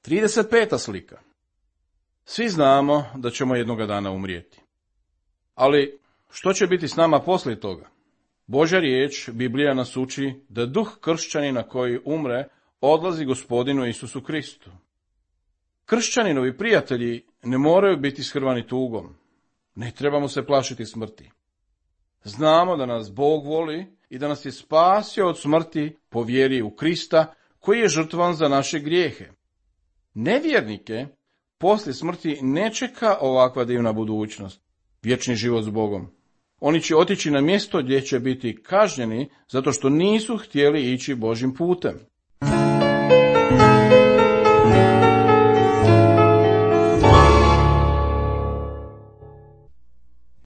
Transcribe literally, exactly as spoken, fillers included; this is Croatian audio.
trideset peta slika. Svi znamo da ćemo jednoga dana umrijeti. Ali što će biti s nama poslije toga? Božja riječ, Biblija nas uči da duh kršćanina koji umre odlazi Gospodinu Isusu Kristu. Kršćaninovi prijatelji ne moraju biti shrvani tugom. Ne trebamo se plašiti smrti. Znamo da nas Bog voli i da nas je spasio od smrti po vjeri u Krista, koji je žrtvan za naše grijehe. Nevjernike poslije smrti ne čeka ovakva divna budućnost, vječni život s Bogom. Oni će otići na mjesto gdje će biti kažnjeni zato što nisu htjeli ići Božjim putem.